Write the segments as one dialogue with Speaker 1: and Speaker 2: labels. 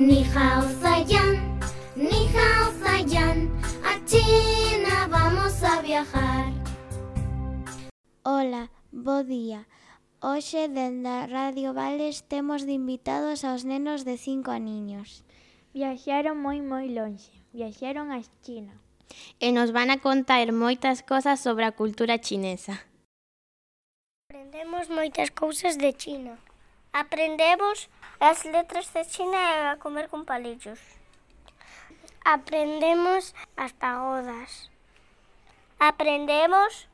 Speaker 1: Ni hao Zayan, ni hao Zayan, a China vamos a viajar.
Speaker 2: Ola, bo día. Hoxe, dende a Radio Vales, temos de invitados aos nenos de 5 aniños.
Speaker 3: Viaxaron moi lonxe, viaxaron a China.
Speaker 4: E nos van a contar moitas cosas sobre a cultura chinesa.
Speaker 5: Aprendemos moitas cousas de China. Aprendemos as letras de China e a comer con palillos. Aprendemos as pagodas. Aprendemos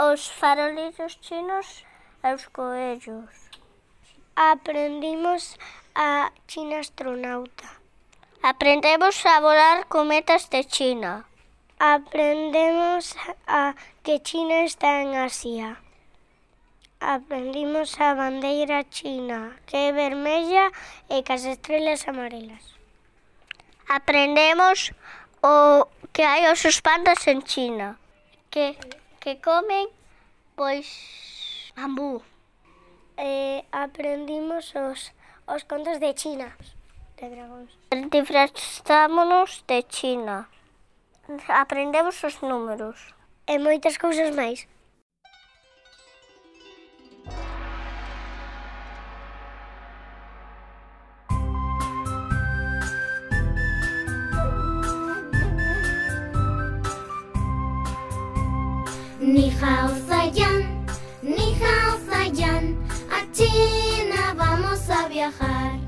Speaker 5: os farolillos chinos e os coellos. Aprendimos a China astronauta. Aprendemos a volar cometas de China. Aprendemos a que China está en Asia. Aprendimos a bandeira china, que é vermella e cas estrelas amarelas. Aprendemos o que hai os pandas en China, que comen, pois, bambú. Aprendimos os contos de China, de dragóns. Disfraztámonos de China. Aprendemos os números. E moitas cousas máis.
Speaker 1: Ni hao Zayan, ni hao Zayan, a China vamos a viajar.